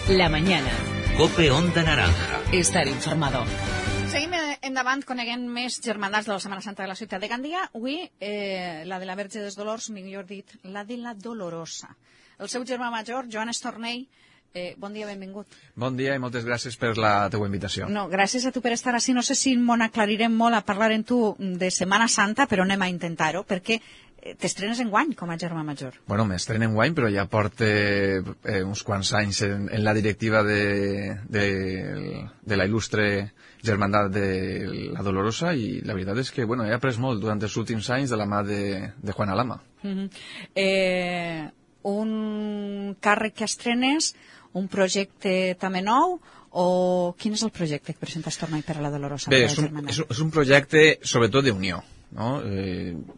La mañana. COPE Onda Naranja. Estar informado. Seguim endavant coneguent més germandats de la Setmana Santa de la ciutat de Gandia. Avui, la de la Verge dels Dolors, millor dit, la de la Dolorosa. El seu germà major, Joan Estornell, bon dia, benvingut. Bon dia i moltes gràcies per la teua invitació. No, gràcies a tu per estar així. No sé si m'ho aclarirem molt a parlar amb tu de Setmana Santa, però anem a intentar-ho, perquè t'estrenes enguany com a germà major. Bueno, m'estreno enguany, però ja porto uns quants anys en la directiva de la il·lustre germandat de la Dolorosa i la veritat és que he après molt durant els últims anys de la mà de Juan Alama. Un càrrec que estrenes, un projecte també nou, o quin és el projecte que presenta Estornell per a la Dolorosa? Bé, és un projecte sobretot d'unió. No?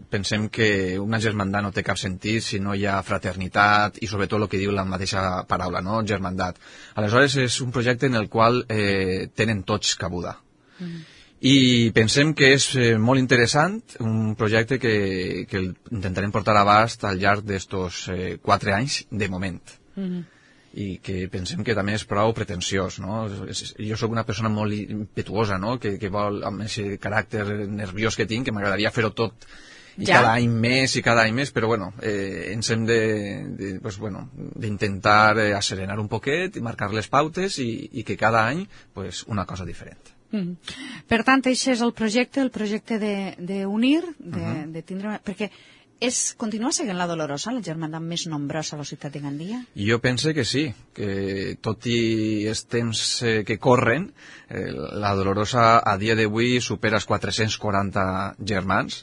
Pensem que una germandat no té cap sentit si no hi ha fraternitat i sobretot el que diu la mateixa paraula, no? Germandat. Aleshores és un projecte en el qual tenen tots cabuda. I pensem que és molt interessant, un projecte que intentarem portar a abast al llarg d'estos 4 anys de moment. I que pensem que també és prou pretensiós, no? Jo sóc una persona molt impetuosa, no? Que vol, amb aquest caràcter nerviós que tinc, que m'agradaria fer-ho tot i cada any més, però ens hem d'intentar asserenar un poquet i marcar les pautes i que cada any una cosa diferent. Per tant, això és el projecte d'unir, de tindre... Perquè continua sent la Dolorosa la germandat més nombrosa a la ciutat de Gandia? Jo pense que sí, que tot i els temps que corren, la Dolorosa a dia d'avui supera els 440 germans.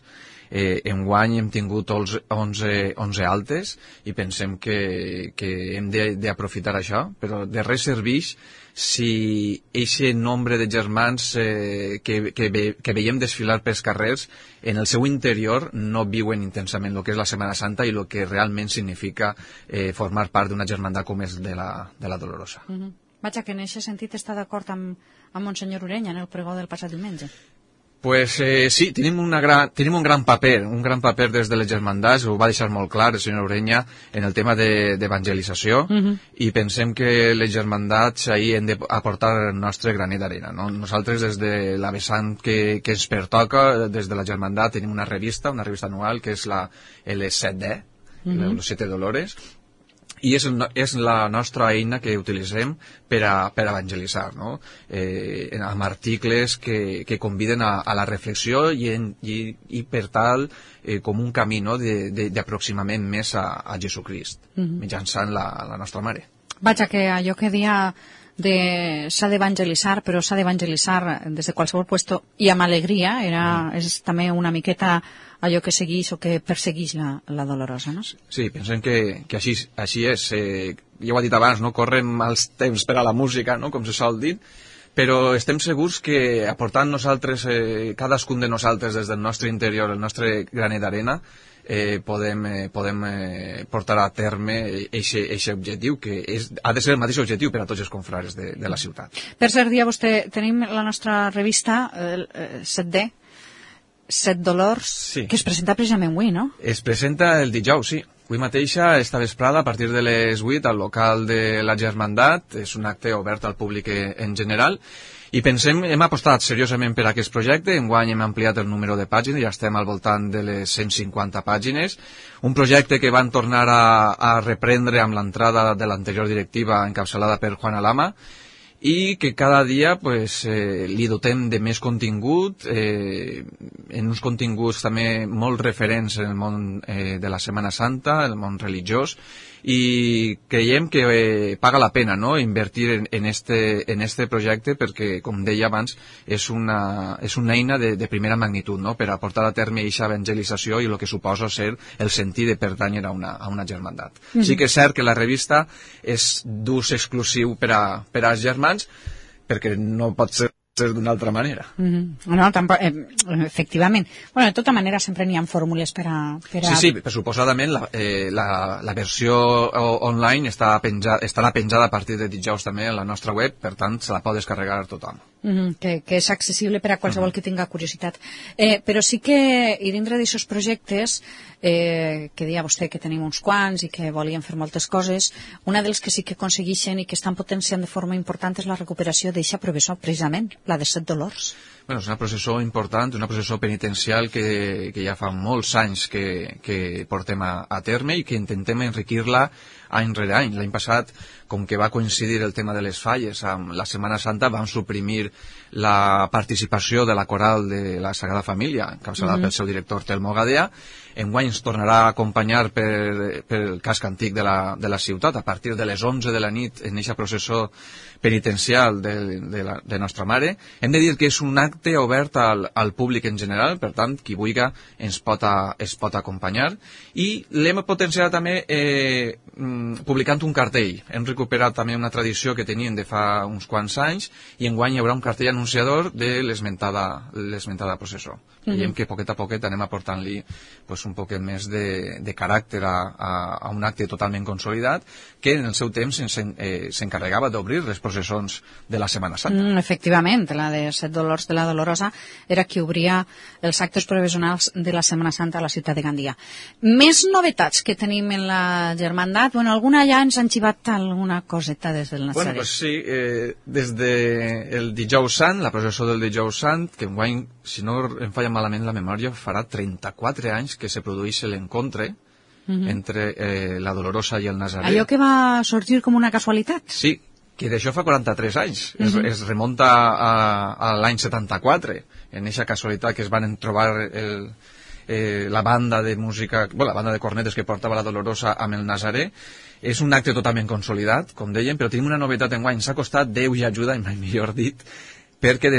Enguany hem tingut 11 altes i pensem que hem d'aprofitar això, però de res serveix si aquest nombre de germans que veiem desfilar pels carrers en el seu interior no viuen intensament el que és la Setmana Santa i el que realment significa formar part d'una germandat com és de la Dolorosa. Vaja, que en aquest sentit està d'acord amb Monsenyor Urenya en el pregó del passat diumenge. Pues sí, tenim un gran paper des de les germandats, ho va deixar molt clar el senyor Urenya en el tema d'evangelització i pensem que les germandats ahir hem d'aportar el nostre granet d'arena. No? Nosaltres des de la vessant que ens pertoca, des de la germandat tenim una revista anual que és la L7D, les 7 Dolores, i és la nostra eina que utilitzem per evangelitzar, no? Amb articles que conviden a la reflexió i per tal com un camí d'aproximament més a Jesucrist, mitjançant la nostra mare. Vaja, que allò que dia s'ha d'evangelitzar, però s'ha d'evangelitzar des de qualsevol lloc i amb alegria, és també una miqueta allò que segueix o que persegueix la Dolorosa, no? Sí, pensem que així és. Ja ho he dit abans, no? Corren mals temps per a la música, no? Com se sol dir, però estem segurs que aportant nosaltres, cadascun de nosaltres des del nostre interior, el nostre granet d'arena, podem portar a terme aquest objectiu, que ha de ser el mateix objectiu per a tots els confrares de la ciutat. Per cert, dia vostè, tenim la nostra revista, el 7D, 7 Dolors, que es presenta precisament avui, no? Es presenta el dijous, sí. Avui mateixa, esta vesprada, a partir de les 8, al local de la Germandat. És un acte obert al públic en general. I hem apostat seriosament per aquest projecte. Enguany hem ampliat el número de pàgines, ja estem al voltant de les 150 pàgines. Un projecte que van tornar a reprendre amb l'entrada de l'anterior directiva encapçalada per Juan Alama, i que cada dia li dotem de més contingut, en uns continguts també molt referents en el món de la Setmana Santa, el món religiós, i creiem que paga la pena, no?, invertir en este projecte perquè, com deia abans, és una eina de primera magnitud, no?, per aportar a terme aquesta evangelització i el que suposa ser el sentit de pertànyer a una germandat. Sí que és cert que la revista és d'ús exclusiu per als germans, perquè no pot ser d'una altra manera. No, tampoc, efectivament. Bueno, de tota manera sempre n'hi ha fórmules per a... Sí, suposadament la versió online estarà penjada a partir de dijous també a la nostra web, per tant se la pot descarregar tothom. que és accessible per a qualsevol que tinga curiositat. Però sí que, i dintre d'aixòs projectes, que deia vostè que tenim uns quants i que volien fer moltes coses, una dels que sí que aconsegueixen i que estan potenciant de forma important és la recuperació d'eixa processó, precisament, la de Set Dolors. Bueno, és una processó important, una processó penitencial que ja fa molts anys que portem a terme i que intentem enriquir-la any rere any. L'any passat, com que va coincidir el tema de les falles amb la Setmana Santa, vam suprimir la participació de la coral de la Sagrada Família, encapçalada pel seu director Telmo Gadea. Enguany ens tornarà a acompanyar pel casc antic de la ciutat a partir de les 11 de la nit en aquesta processó penitencial de Nostra Mare. Hem de dir que és un acte obert al públic en general, per tant, qui vulgui es pot acompanyar, i l'hem potenciat també publicant un cartell. Hem recuperat també una tradició que tenien de fa uns quants anys i enguany hi haurà un cartell anunciador de l'esmentada processó. Veiem que poquet a poquet anem aportant-li un poquet més de caràcter a un acte totalment consolidat que en el seu temps s'encarregava d'obrir les processons de la Setmana Santa. Efectivament, la de Set Dolors de la Dolorosa era qui obria els actes provisionals de la Setmana Santa a la ciutat de Gandia. Més novetats que tenim en la germandat, alguna ja ens han xivat alguna coseta des del Nazaret. Bueno, sí, des del Dijous Sant, la processó del Dijous Sant, que enguany, si no em falla malament la memòria, farà 34 anys que se produeix l'encontre entre la Dolorosa i el Nazaret. Allò que va sorgir com una casualitat. Sí, que d'això fa 43 anys. Es remunta a l'any 74, en aquesta casualitat que es van trobar la banda de música, la banda de cornetes que portava la Dolorosa amb el Nazaret. És un acte totalment consolidat, com dèiem, però tenim una novetat enguany. S'ha costat Déu i ajuda, i mai millor dit, perquè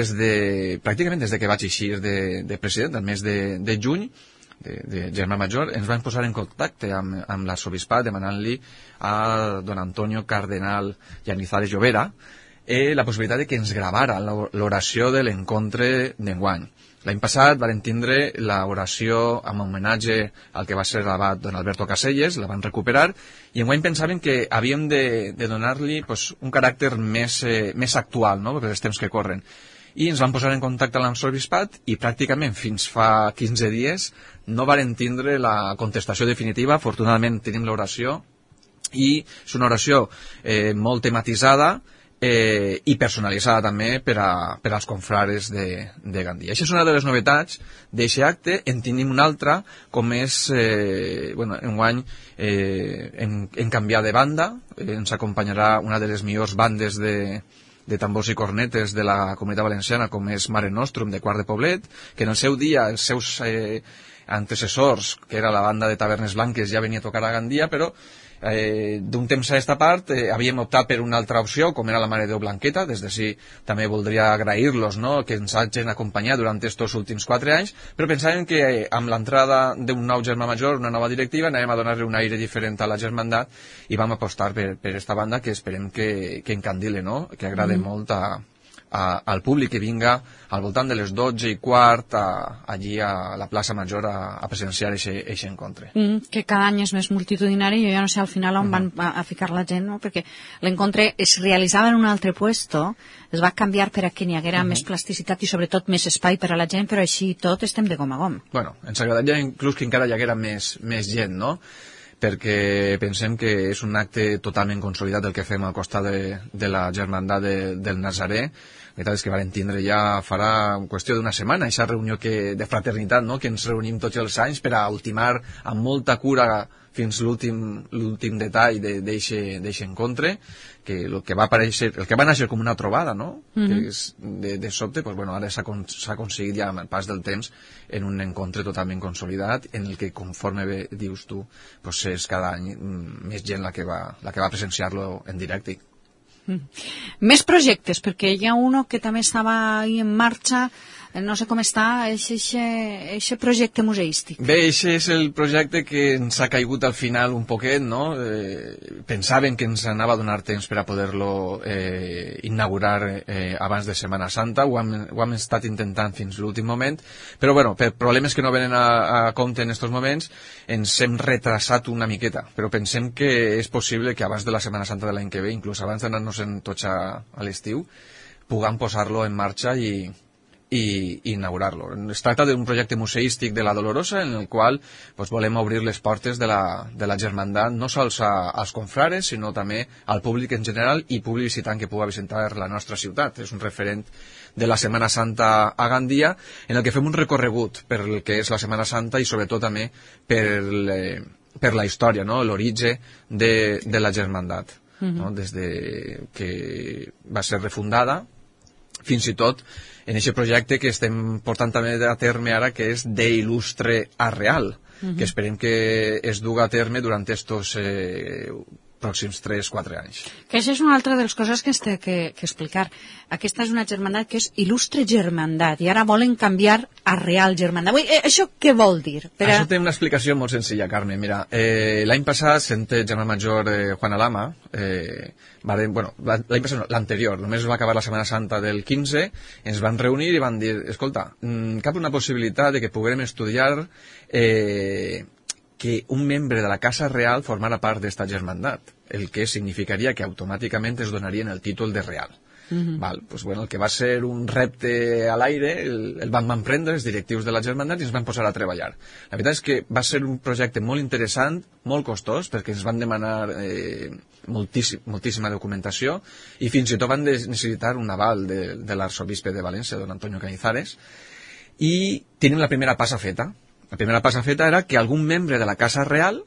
pràcticament des que vaig eixir de president, el mes de juny, de Germà Major, ens vam posar en contacte amb l'arsobispat demanant-li a don Antonio Cardenal Llanizares Llobera la possibilitat de que ens gravara l'oració de l'encontre d'enguany. L'any passat van tindre l'oració amb homenatge al que va ser l'abat don Alberto Caselles, la van recuperar, i enguany pensaven que havíem de donar-li un caràcter més actual, no?, per els temps que corren. I ens vam posar en contacte amb l'arsobispat i pràcticament fins fa 15 dies no varen tindre la contestació definitiva. Afortunadament tenim l'oració i és una oració molt tematitzada i personalitzada també per als confrares de Gandia. Això és una de les novetats d'aquest acte. En tenim una altra, com és, enguany hem canviat de banda, ens acompanyarà una de les millors bandes de tambors i cornetes de la Comunitat Valenciana, com és Mare Nostrum, de Quart de Poblet, que en el seu dia els seus antecessors, que era la banda de Tavernes Blanques, ja venia a tocar a Gandia, però d'un temps a aquesta part havíem optat per una altra opció, com era la Mare Déu Blanqueta. Des d'ací també voldria agrair-los, no?, que ens hagin acompanyat durant estos últims 4 anys, però pensàvem que amb l'entrada d'un nou germà major, una nova directiva, anàvem a donar-li un aire diferent a la germandat i vam apostar per esta banda que esperem que encandile, no?, que agrade molt al públic que vinga al voltant de les 12:15 allí a la plaça Major a presenciar aquest encontre. Que cada any és més multitudinari. Jo ja no sé al final on van a ficar la gent, no?, perquè l'encontre es realitzava en un altre puesto, es va canviar per a que n'hi haguera més plasticitat i sobretot més espai per a la gent, però així tot estem de gom a gom. Bueno, ens agradaria inclús que encara hi haguera més gent, no?, perquè pensem que és un acte totalment consolidat el que fem al costat de la germandat del Nazaret. La veritat és que vam tindre ja farà qüestió d'una setmana aquesta reunió de fraternitat, no?, que ens reunim tots els anys per a ultimar amb molta cura fins l'últim detall d'aquest encontre, que el que va néixer com una trobada, no?, que és de sobte, ara s'ha aconseguit ja amb el pas del temps en un encontre totalment consolidat, en el que, conforme bé dius tu, és cada any més gent la que va presenciar-lo en directe. Més projectes, perquè hi ha un que també estava ahí en marxa, no sé com està, eixe projecte museístic. Bé, eixe és el projecte que ens ha caigut al final un poquet, no? Pensàvem que ens anava a donar temps per a poder-lo inaugurar abans de Setmana Santa, ho hem estat intentant fins l'últim moment, però per problemes que no venen a compte en aquests moments ens hem retrasat una miqueta, però pensem que és possible que abans de la Setmana Santa de l'any que ve, inclús abans d'anar-nos-en tots a l'estiu, puguem posar-lo en marxa i inaugurar-lo. Es tracta d'un projecte museístic de la Dolorosa en el qual volem obrir les portes de la germandat no sols als confrares, sinó també al públic en general i públic visitant que pugui visitar la nostra ciutat. És un referent de la Setmana Santa a Gandia, en el que fem un recorregut per el que és la Setmana Santa i sobretot també per la història, no? L'origen de la germandat, no? Des de que va ser refundada fins i tot en aquest projecte que estem portant també a terme ara, que és d'il·lustre a real, que esperem que es duga a terme durant estos pròxims 3-4 anys. Que això és una altra de les coses que es té que explicar. Aquesta és una germandat que és il·lustre germandat i ara volen canviar a real germandat. Això què vol dir? Això té una explicació molt senzilla, Carme. Mira, l'any passat, sent el germà major Juan Alama, l'any passat no, l'anterior, només va acabar la Setmana Santa del 15, ens van reunir i van dir, escolta, cap una possibilitat de que puguem estudiar que un membre de la Casa Real formara part d'esta germandat, el que significaria que automàticament es donarien el títol de real. El que va ser un repte a l'aire el van prendre els directius de la germandat i ens van posar a treballar. La veritat és que va ser un projecte molt interessant, molt costós, perquè ens van demanar moltíssima documentació i fins i tot van necessitar un aval de l'arxobisbe de València, don Antonio Cañizares, i tenim la primera passa feta. La primera passa feta era que algun membre de la Casa Real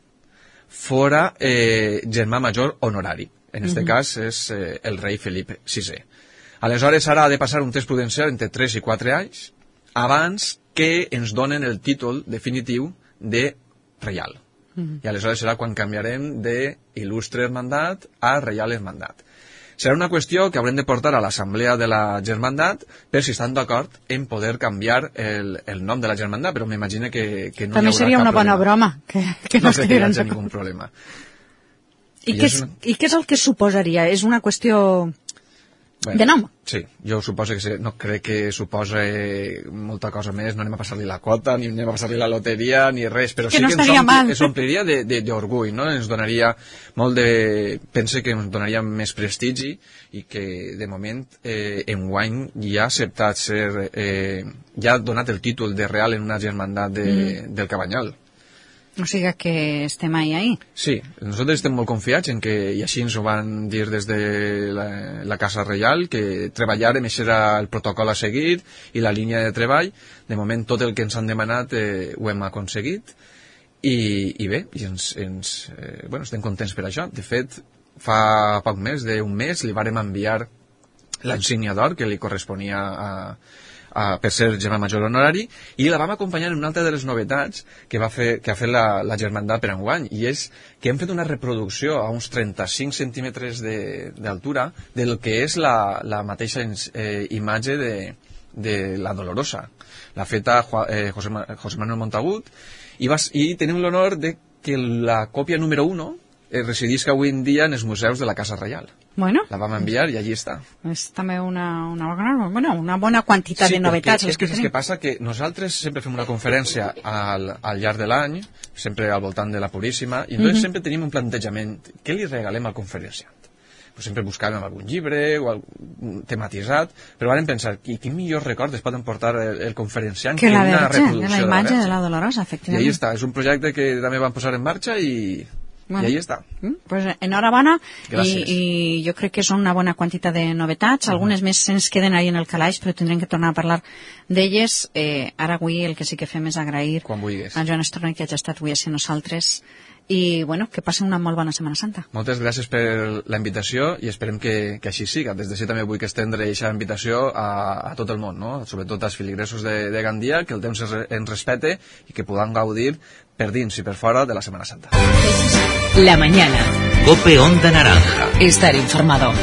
fora germà major honorari. En aquest cas és el rei Felip VI. Aleshores, ara ha de passar un test prudencial entre 3 i 4 anys abans que ens donen el títol definitiu de reial. I aleshores serà quan canviarem d'il·lustre hermandat a reial hermandat. Serà una qüestió que haurem de portar a l'assemblea de la germandat per si estan d'acord en poder canviar el nom de la germandat, però m'imagino que no hi haurà cap problema. També seria una bona broma. Que no crec que hi hagi cap problema. I què és el que suposaria? És una qüestió de nom? Sí, jo suposo que no crec que suposa molta cosa més, no anem a passar-li la quota, ni anem a passar-li la loteria, ni res, però sí que ens ompliria d'orgull, no? Ens donaria molt de... Pense que ens donaria més prestigi i que, de moment, enguany ja ha acceptat ser... ja ha donat el títol de real en una germandat del Cabanyal. O sigui que estem ahí. Sí, nosaltres estem molt confiats en que, i així ens ho van dir des de la Casa Reial, que treballarem, això era el protocol a seguir i la línia de treball. De moment tot el que ens han demanat ho hem aconseguit i bé, estem contents per això. De fet, fa poc més d'un mes li vàrem enviar l'insígnia d'or que li corresponia per ser germà major honorari i la vam acompanyar en una altra de les novetats que ha fet la germandat per enguany, i és que hem fet una reproducció a uns 35 centímetres d'altura del que és la mateixa imatge de la Dolorosa. L'ha feta José Manuel Montagut i tenim l'honor de que la còpia número 1 residisca avui en dia en els museus de la Casa Reial. Bueno, la vam enviar i allí està. És també una bona quantitat de novetats. Sí, és que passa que nosaltres sempre fem una conferència al llarg de l'any, sempre al voltant de la Puríssima, i entonces sempre tenim un plantejament. Què li regalem al conferenciant? Pues sempre buscàvem algun llibre o tematitzat, però vam pensar, quin millor record es pot emportar el conferenciant que una reproducció de la imatge de la Dolorosa, efectivament. I allí està, és un projecte que també vam posar en marxa i ahí està. Pues enhorabona. I jo crec que són una bona quantitat de novetats. Algunes més ens queden ahí en el calaix, però tindrem que tornar a parlar d'elles. Ara avui el que sí que fem és agrair a Joan Estornell que hagi estat avui a nosaltres i que passi una molt bona Setmana Santa. Moltes gràcies per la invitació i esperem que així siga. Des d'ací també vull que estendre aquesta invitació a tot el món, no? Sobretot als filigresos de Gandia, que el temps ens respete i que puguem gaudir per dins i per fora de la Setmana Santa. La mañana. COPE Onda Naranja. Estar informado.